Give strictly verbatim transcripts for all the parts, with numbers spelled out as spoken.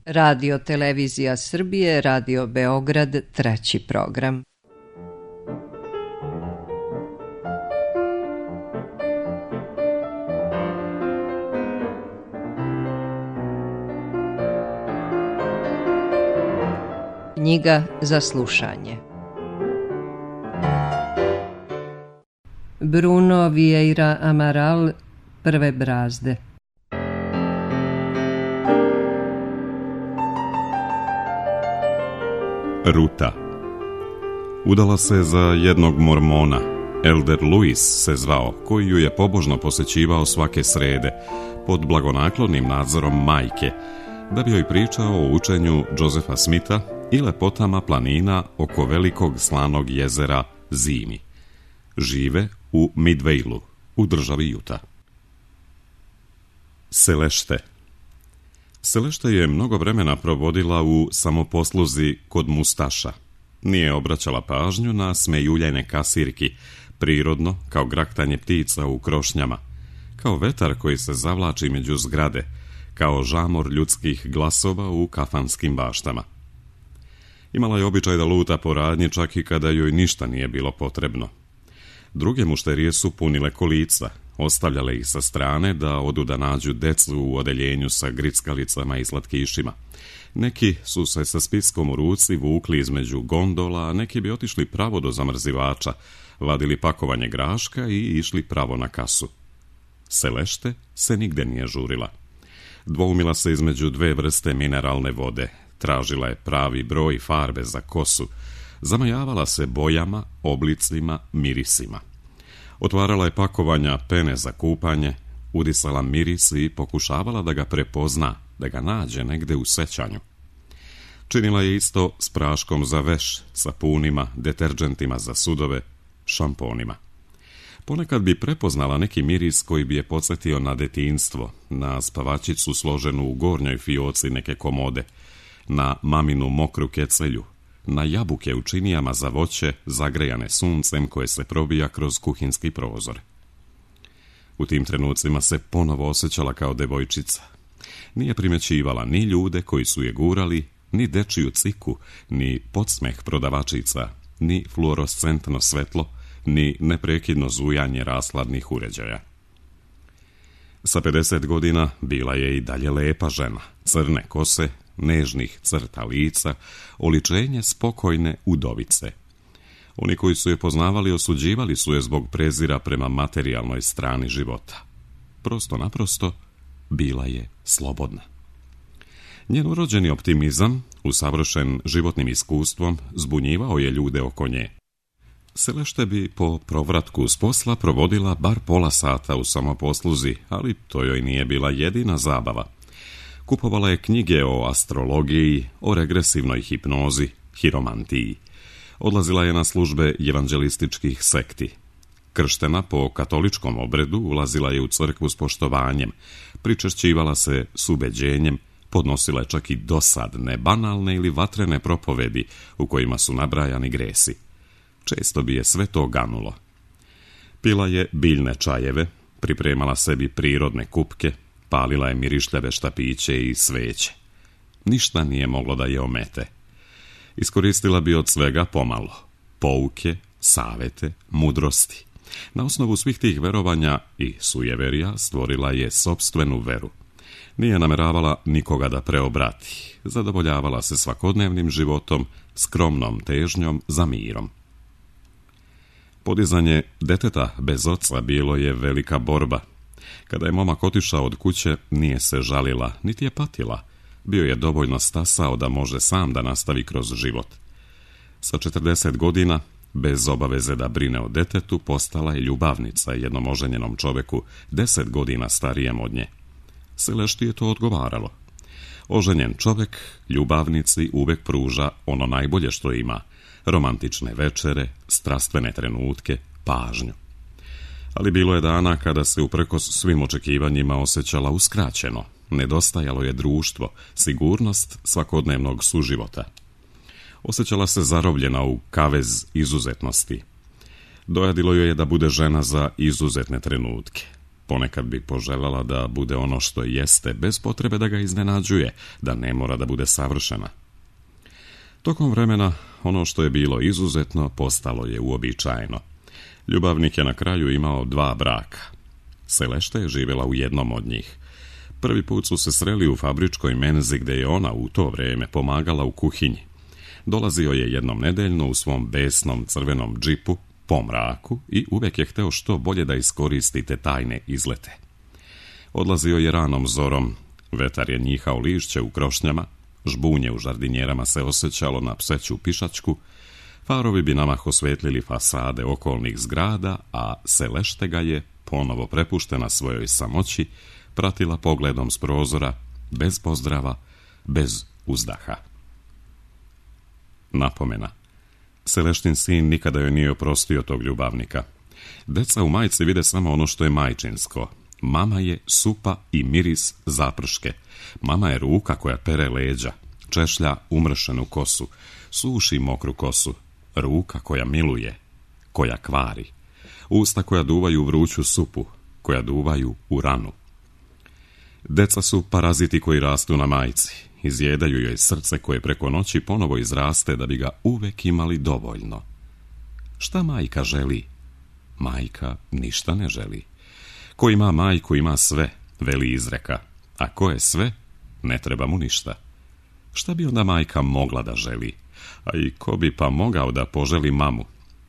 Radio Televizija Srbije, Radio Beograd, treći program. Knjiga za slušanje. Bruno Vieira Amaral, Prve brazde. Ruta. Udala se za jednog mormona. Elder Luis se zvao, koji ju je pobožno posećivao svake srede, pod blagonaklonim nadzorom majke, da bi joj pričao o učenju Josefa Smitha i lepotama planina oko velikog slanog jezera Zimi. Žive u Midvejlu, u državi Utah. Selešte. Selešte je mnogo vremena provodila u samoposluzi kod Mustaša. Nije obraćala pažnju na smejuljene kasirki, prirodno kao graktanje ptica u krošnjama, kao vetar koji se zavlači među zgrade, kao žamor ljudskih glasova u kafanskim baštama. Imala je običaj da luta po radnji čak i kada joj ništa nije bilo potrebno. Druge mušterije su punile kolica, ostavljale ih sa strane da odu da nađu decu u odeljenju sa grickalicama i slatkišima. Neki su se sa spiskom u ruci vukli između gondola, a neki bi otišli pravo do zamrzivača, vadili pakovanje graška i išli pravo na kasu. Selešte se nigde nije žurila. Dvoumila se između dve vrste mineralne vode, tražila je pravi broj farbe za kosu, zamajavala se bojama, oblicima, mirisima. Otvarala je pakovanja pene za kupanje, udisala miris i pokušavala da ga prepozna, da ga nađe negde u sećanju. Činila je isto s praškom za veš, sapunima, deterđentima za sudove, šamponima. Ponekad bi prepoznala neki miris koji bi je podsjetio na detinjstvo, na spavačicu složenu u gornjoj fioci neke komode, na maminu mokru kecelju, na jabuke u činijama za voće zagrejane suncem koje se probija kroz kuhinski prozor. U tim trenucima se ponovo osjećala kao devojčica. Nije primećivala ni ljude koji su je gurali, ni dečiju ciku, ni podsmeh prodavačica, ni fluorescentno svetlo, ni neprekidno zujanje rashladnih uređaja. Sa pedeset godina bila je i dalje lepa žena, crne kose, nežnih crta lica, oličenje spokojne udovice. Oni koji su je poznavali osuđivali su je zbog prezira prema materijalnoj strani života. Prosto naprosto bila je slobodna. Njen urođeni optimizam, usavršen životnim iskustvom, zbunjivao je ljude oko nje. Selešte bi po provratku s posla provodila bar pola sata u samoposluzi, ali to joj nije bila jedina zabava. Kupovala je knjige o astrologiji, o regresivnoj hipnozi, hiromantiji. Odlazila je na službe evanđelističkih sekti. Krštena po katoličkom obredu, ulazila je u crkvu s poštovanjem, pričešćivala se s ubeđenjem, podnosila je čak i dosadne, banalne ili vatrene propovedi u kojima su nabrajani gresi. Često bi je sve to ganulo. Pila je biljne čajeve, pripremala sebi prirodne kupke, palila je mirišljave štapiće i sveće. Ništa nije moglo da je omete. Iskoristila bi od svega pomalo. Pouke, savete, mudrosti. Na osnovu svih tih verovanja i sujeverija stvorila je sopstvenu veru. Nije nameravala nikoga da preobrati. Zadovoljavala se svakodnevnim životom, skromnom težnjom za mirom. Podizanje deteta bez oca bilo je velika borba. Kada je momak otišao od kuće, nije se žalila, niti je patila. Bio je dovoljno stasao da može sam da nastavi kroz život. Sa četrdeset godina, bez obaveze da brine o detetu, postala je ljubavnica jednom oženjenom čoveku, deset godina starijem od nje. Selešti je to odgovaralo. Oženjen čovek ljubavnici uvek pruža ono najbolje što ima, romantične večere, strastvene trenutke, pažnju. Ali bilo je dana kada se uprkos svim očekivanjima osjećala uskraćeno, nedostajalo je društvo, sigurnost svakodnevnog suživota. Osjećala se zarobljena u kavez izuzetnosti. Dojadilo joj je da bude žena za izuzetne trenutke. Ponekad bi poželjela da bude ono što jeste, bez potrebe da ga iznenađuje, da ne mora da bude savršena. Tokom vremena, ono što je bilo izuzetno, postalo je uobičajeno. Ljubavnik je na kraju imao dva braka. Selešta je živjela u jednom od njih. Prvi put su se sreli u fabričkoj menzi gdje je ona u to vrijeme pomagala u kuhinji. Dolazio je jednom nedeljno u svom besnom crvenom džipu, po mraku, i uvijek je hteo što bolje da iskoristi te tajne izlete. Odlazio je ranom zorom, vetar je njihao lišće u krošnjama, žbunje u žardinjerama se osjećalo na pseću pišačku, farovi bi namah osvetlili fasade okolnih zgrada, a Selešta ga je, ponovo prepuštena svojoj samoći, pratila pogledom s prozora, bez pozdrava, bez uzdaha. Napomena. Seleštin sin nikada joj nije oprostio tog ljubavnika. Deca u majci vide samo ono što je majčinsko. Mama je supa i miris zaprške. Mama je ruka koja pere leđa, češlja umršenu kosu, suši mokru kosu, ruka koja miluje, koja kvari, usta koja duvaju vruću supu, koja duvaju u ranu. Deca su paraziti koji rastu na majci, izjedaju joj srce koje preko noći ponovo izraste da bi ga uvek imali dovoljno. Šta majka želi? Majka ništa ne želi. Ko ima majku ima sve, veli izreka, a ko je sve, ne treba mu ništa. Šta bi onda majka mogla da želi? A i ko bi pa mogao da poželi mamu?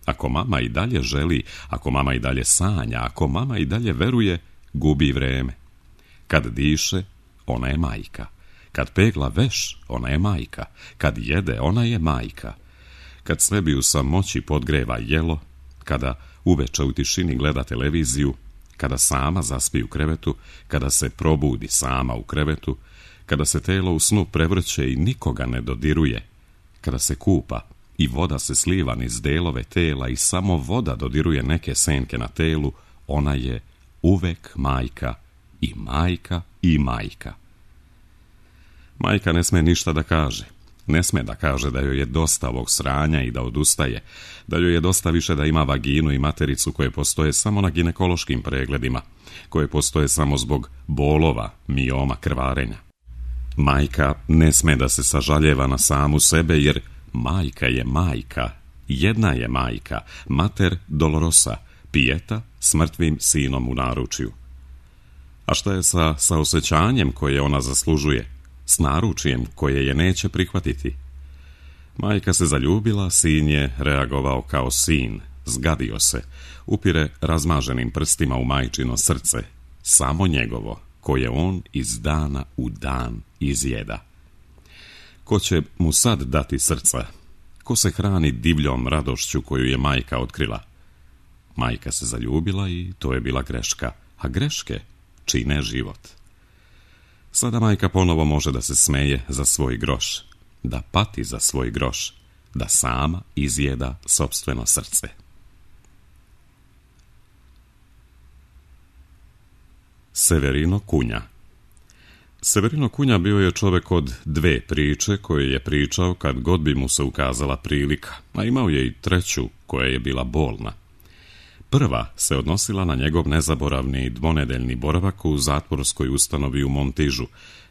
Ako mama i dalje želi, ako mama i dalje sanja, ako mama i dalje veruje, gubi vreme. Kad diše, ona je majka. Kad pegla veš, ona je majka. Kad jede, ona je majka. Kad sebi u samoći podgreva jelo, kada uveče u tišini gleda televiziju, kada sama zaspi u krevetu, kada se probudi sama u krevetu, kada se telo u snu prevrće i nikoga ne dodiruje, kada se kupa i voda se sliva niz delove tela i samo voda dodiruje neke senke na telu, ona je uvek majka i majka i majka. Majka ne sme ništa da kaže. Ne sme da kaže da joj je dosta ovog sranja i da odustaje, da joj je dosta više da ima vaginu i matericu koje postoje samo na ginekološkim pregledima, koje postoje samo zbog bolova, mioma, krvarenja. Majka ne sme da se sažaljeva na samu sebe, jer majka je majka, jedna je majka, mater dolorosa, pijeta s mrtvim sinom u naručju. A šta je sa saosećanjem koje ona zaslužuje, s naručijem koje je neće prihvatiti? Majka se zaljubila, sin je reagovao kao sin, zgadio se, upire razmaženim prstima u majčino srce, samo njegovo, koje on iz dana u dan izjeda. Ko će mu sad dati srca? Ko se hrani divljom radošću koju je majka otkrila? Majka se zaljubila i to je bila greška, a greške čine život. Sada majka ponovo može da se smeje za svoj groš, da pati za svoj groš, da sama izjeda sopstveno srce. Severino Kunja. Severino Kunja bio je čovjek od dve priče koje je pričao kad god bi mu se ukazala prilika, a imao je i treću koja je bila bolna. Prva se odnosila na njegov nezaboravni dvonedeljni boravak u zatvorskoj ustanovi u Montižu,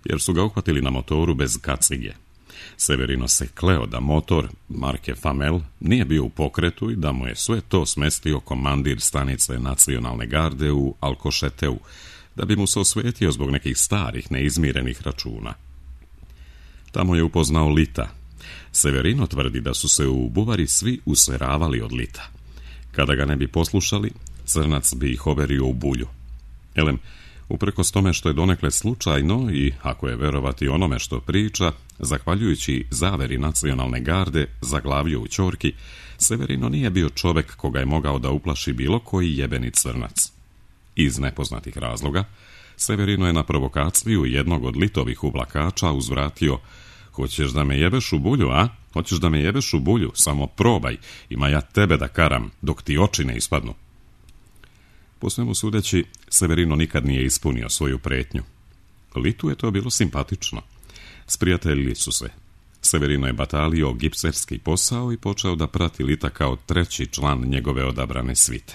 jer su ga uhvatili na motoru bez kacige. Severino se kleo da motor marke Famel nije bio u pokretu i da mu je sve to smestio komandir stanice nacionalne garde u Alkošeteu, da bi mu se osvetio zbog nekih starih neizmirenih računa. Tamo je upoznao Lita. Severino tvrdi da su se u buvari svi useravali od Lita. Kada ga ne bi poslušali, crnac bi ih overio u bulju. Elem, uprkos tome što je donekle slučajno i, ako je verovati onome što priča, zahvaljujući zaveri nacionalne garde zaglavio u ćorki, Severino nije bio čovek koga je mogao da uplaši bilo koji jebeni crnac. Iz nepoznatih razloga, Severino je na provokaciju jednog od Litovih uvlakača uzvratio: "Hoćeš da me jebeš u bulju, a? Hoćeš da me jebeš u bulju? Samo probaj, ima ja tebe da karam, dok ti oči ne ispadnu." Po svemu sudeći, Severino nikad nije ispunio svoju pretnju. Litu je to bilo simpatično. Sprijateljili su se. Severino je batalio gipserski posao i počeo da prati Lita kao treći član njegove odabrane svite.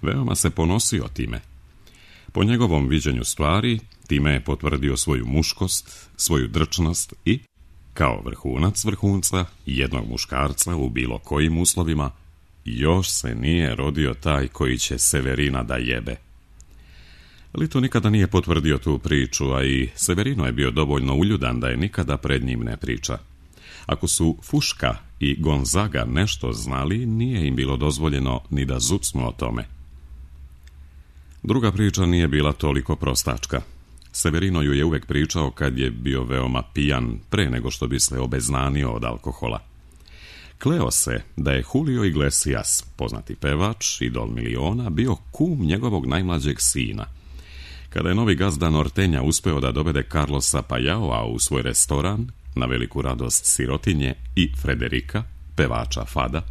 Veoma se ponosio time. Po njegovom viđenju stvari, time je potvrdio svoju muškost, svoju drčnost i, kao vrhunac vrhunca, jednog muškarca u bilo kojim uslovima, još se nije rodio taj koji će Severina da jebe. Lito nikada nije potvrdio tu priču, a i Severino je bio dovoljno uljudan da je nikada pred njim ne priča. Ako su Fuška i Gonzaga nešto znali, nije im bilo dozvoljeno ni da zucnu o tome. Druga priča nije bila toliko prostačka. Severino ju je uvek pričao kad je bio veoma pijan, pre nego što bi se obeznanio od alkohola. Kleo se da je Julio Iglesias, poznati pevač, idol miliona, bio kum njegovog najmlađeg sina. Kada je novi gazda Nortenja uspeo da dovede Carlosa Pajaoa u svoj restoran, na veliku radost sirotinje i Frederika, pevača Fada,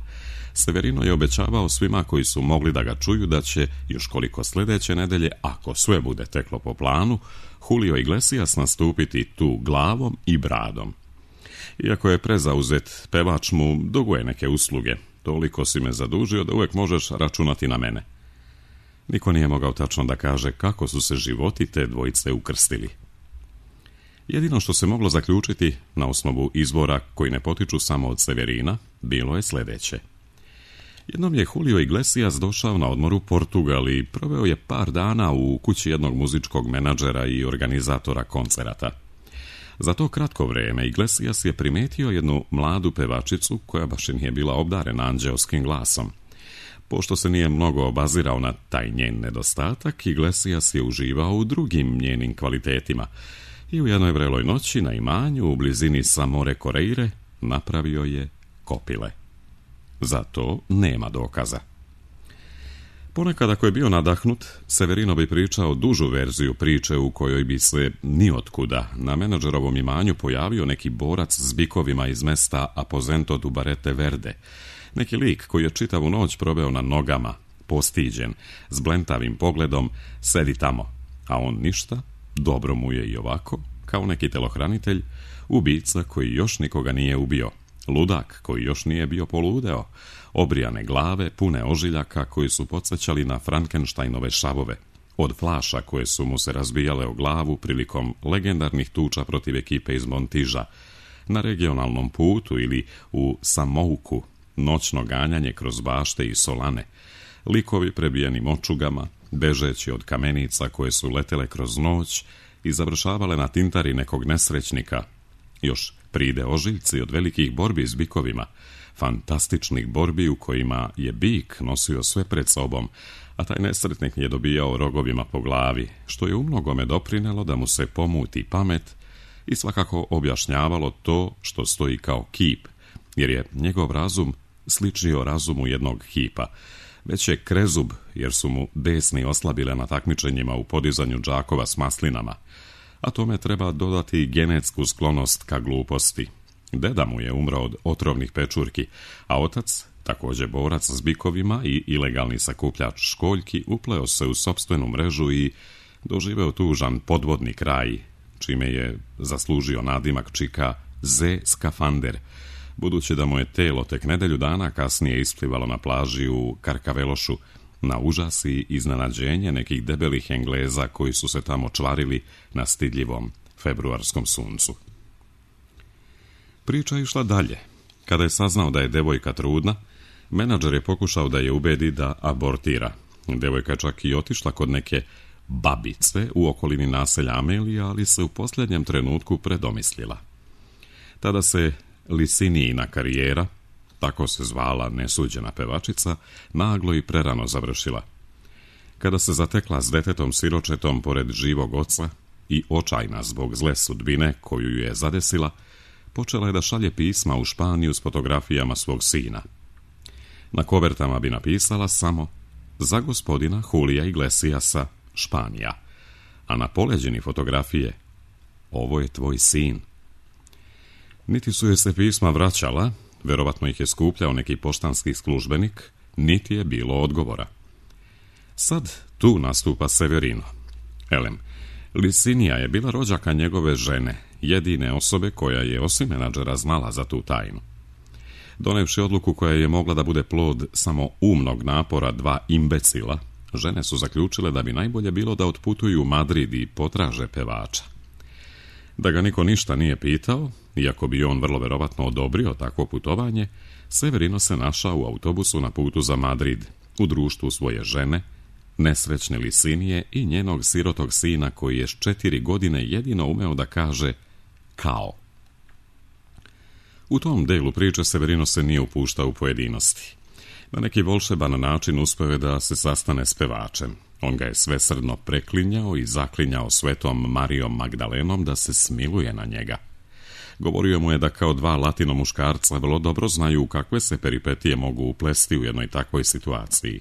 Severino je obećavao svima koji su mogli da ga čuju da će, još koliko sljedeće nedelje, ako sve bude teklo po planu, Julio Iglesias nastupiti tu glavom i bradom. Iako je prezauzet, pevač mu duguje neke usluge. Toliko si me zadužio da uvek možeš računati na mene. Niko nije mogao tačno da kaže kako su se životi te dvojice ukrstili. Jedino što se moglo zaključiti na osnovu izvora koji ne potiču samo od Severina, bilo je sljedeće. Jednom je Julio Iglesias došao na odmor u Portugal i proveo je par dana u kući jednog muzičkog menadžera i organizatora koncerata. Za to kratko vreme Iglesias je primetio jednu mladu pevačicu koja baš i nije bila obdarena anđeoskim glasom. Pošto se nije mnogo obazirao na taj njen nedostatak, Iglesias je uživao u drugim njenim kvalitetima i u jednoj vreloj noći na imanju u blizini Samore Koreire napravio je kopile. Za to nema dokaza. Ponekad ako je bio nadahnut, Severino bi pričao dužu verziju priče u kojoj bi se niotkuda na menadžerovom imanju pojavio neki borac s bikovima iz mesta Aposento du Barete Verde, neki lik koji je čitavu noć proveo na nogama, postiđen, s blentavim pogledom, sedi tamo, a on ništa, dobro mu je i ovako, kao neki telohranitelj, ubica koji još nikoga nije ubio, ludak koji još nije bio poludeo, obrijane glave pune ožiljaka koji su podsjećali na Frankensteinove šavove, od flaša koje su mu se razbijale o glavu prilikom legendarnih tuča protiv ekipe iz Montiža, na regionalnom putu ili u Samouku, noćno ganjanje kroz bašte i solane, likovi prebijenim očugama, bežeći od kamenica koje su letele kroz noć i završavale na tintari nekog nesrećnika, još pride ožiljci od velikih borbi s bikovima, fantastičnih borbi u kojima je bik nosio sve pred sobom, a taj nesretnik je dobijao rogovima po glavi, što je umnogome doprinelo da mu se pomuti pamet i svakako objašnjavalo to što stoji kao kip, jer je njegov razum sličio razumu jednog kipa, već je krezub jer su mu desni oslabile na takmičenjima u podizanju džakova s maslinama, a tome treba dodati genetsku sklonost ka gluposti. Deda mu je umro od otrovnih pečurki, a otac, također borac s bikovima i ilegalni sakupljač školjki, upleo se u sopstvenu mrežu i doživeo tužan podvodni kraj, čime je zaslužio nadimak čika Z skafander, budući da mu je telo tek nedelju dana kasnije isplivalo na plaži u Karkavelošu, na užas i iznenađenje nekih debelih Engleza koji su se tamo čvarili na stidljivom februarskom suncu. Priča je išla dalje. Kada je saznao da je devojka trudna, menadžer je pokušao da je ubedi da abortira. Devojka je čak i otišla kod neke babice u okolini naselja Amelija, ali se u posljednjem trenutku predomislila. Tada se Lisinijina karijera, tako se zvala nesuđena pevačica, naglo i prerano završila. Kada se zatekla s detetom siročetom pored živog oca i očajna zbog zle sudbine koju ju je zadesila, počela je da šalje pisma u Španiju s fotografijama svog sina. Na kovertama bi napisala samo za gospodina Julija Iglesiasa, Španija, a na poleđini fotografije ovo je tvoj sin. Niti su je se pisma vraćala, verovatno ih je skupljao neki poštanski službenik, niti je bilo odgovora. Sad tu nastupa Severino. Elem, Lisinija je bila rođaka njegove žene, jedine osobe koja je osim menadžera znala za tu tajnu. Donevši odluku koja je mogla da bude plod samo umnog napora dva imbecila, žene su zaključile da bi najbolje bilo da otputuju u Madrid i potraže pevača. Da ga niko ništa nije pitao, iako bi on vrlo verovatno odobrio takvo putovanje, Severino se našao u autobusu na putu za Madrid, u društvu svoje žene, nesrećne Lisinije i njenog sirotog sina koji je s četiri godine jedino umeo da kaže kao. U tom delu priče Severino se nije upuštao u pojedinosti. Na neki volšeban način uspeo je da se sastane s pevačem. On ga je svesrdno preklinjao i zaklinjao svetom Marijom Magdalenom da se smiluje na njega. Govorio mu je da kao dva latino muškarca vrlo dobro znaju kakve se peripetije mogu uplesti u jednoj takvoj situaciji.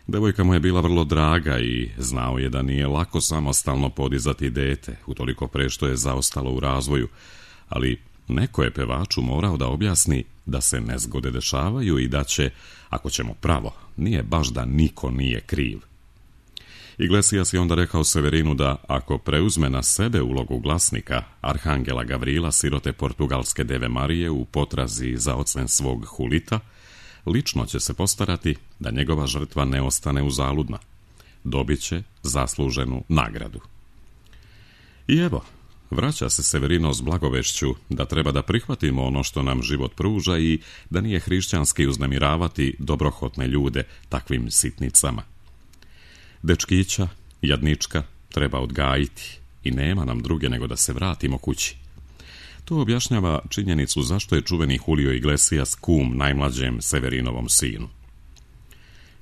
Devojka mu je bila vrlo draga i znao je da nije lako samostalno podizati dete, utoliko pre što je zaostalo u razvoju, ali neko je pevaču morao da objasni da se nezgode dešavaju i da će, ako ćemo pravo, nije baš da niko nije kriv. Iglesias je onda rekao Severinu da ako preuzme na sebe ulogu glasnika arhangela Gavrila, sirote portugalske deve Marije u potrazi za ocen svog Hulita, lično će se postarati da njegova žrtva ne ostane uzaludna. Dobit će zasluženu nagradu. I evo, vraća se Severino s blagovešću da treba da prihvatimo ono što nam život pruža i da nije hrišćanski uznemiravati dobrohotne ljude takvim sitnicama. Dečkića, jadnička, treba odgajiti i nema nam druge nego da se vratimo kući. To objašnjava činjenicu zašto je čuveni Julio Iglesias kum najmlađem Severinovom sinu.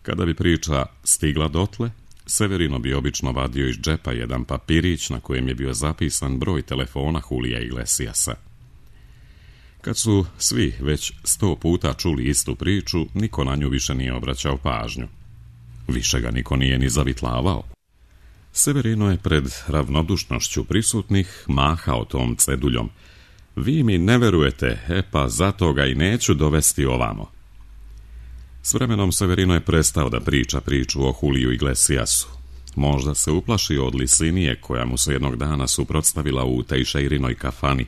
Kada bi priča stigla dotle, Severino bi obično vadio iz džepa jedan papirić na kojem je bio zapisan broj telefona Julija Iglesiasa. Kad su svi već sto puta čuli istu priču, niko na nju više nije obraćao pažnju. Više ga niko nije ni zavitlavao. Severino je pred ravnodušnošću prisutnih mahao tom ceduljom. Vi mi ne verujete, e pa zato ga i neću dovesti ovamo. S vremenom Severino je prestao da priča priču o Juliju Iglesiasu. Možda se uplašio od Lisinije koja mu se jednog dana suprotstavila u Tejšeirinoj kafani,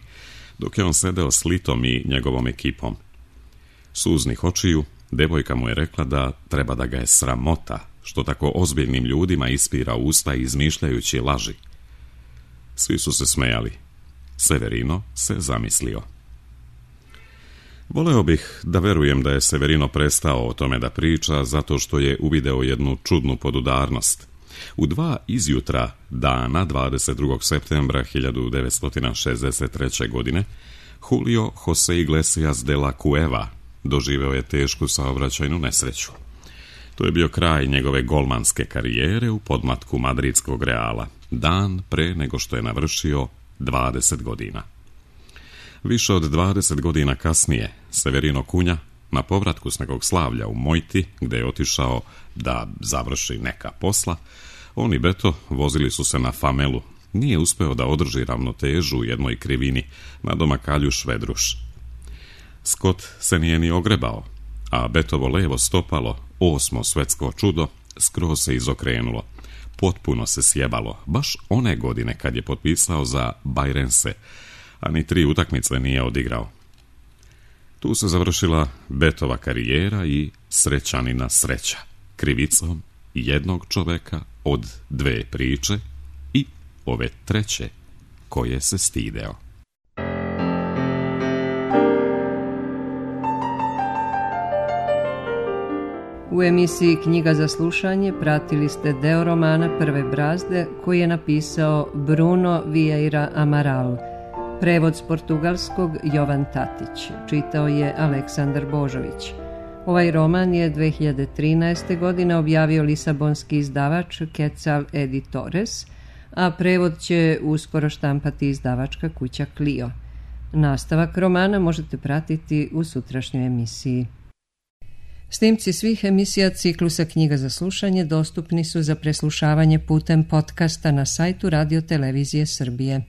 dok je on sedeo s Litom i njegovom ekipom. Suznih očiju, devojka mu je rekla da treba da ga je sramota, što tako ozbiljnim ljudima ispira usta izmišljajući laži. Svi su se smejali. Severino se zamislio. Voleo bih da verujem da je Severino prestao o tome da priča zato što je uvideo jednu čudnu podudarnost. U dva izjutra dana dvadeset drugog septembra hiljadu devetsto šezdeset treće. godine Julio José Iglesias de la Cueva doživeo je tešku saobraćajnu nesreću. To je bio kraj njegove golmanske karijere u podmlatku madridskog Reala, dan pre nego što je navršio dvadeset godina. Više od dvadeset godina kasnije, Severino Kunja, na povratku s nekog slavlja u Mojti, gde je otišao da završi neka posla, on i Beto vozili su se na Famelu. Nije uspeo da održi ravnotežu u jednoj krivini, nadomak Aljuš Vedruš. Scott se nije ni ogrebao, a Betovo levo stopalo, osmo svetsko čudo, skroz se izokrenulo. Potpuno se sjebalo, baš one godine kad je potpisao za Bajrense, a ni tri utakmice nije odigrao. Tu se završila Betova karijera i srećanina sreća, krivicom jednog čoveka od dve priče i ove treće koje se stideo. U emisiji Knjiga za slušanje pratili ste deo romana Prve brazde koji je napisao Bruno Vieira Amaral. Prevod s portugalskog Jovan Tatić. Čitao je Aleksandar Božović. Ovaj roman je dve hiljade trinaeste. godine objavio lisabonski izdavač Quetzal Editores, a prevod će uskoro štampati izdavačka kuća Clio. Nastavak romana možete pratiti u sutrašnjoj emisiji. Snimci svih emisija ciklusa Knjiga za slušanje dostupni su za preslušavanje putem podcasta na sajtu Radio Televizije Srbije.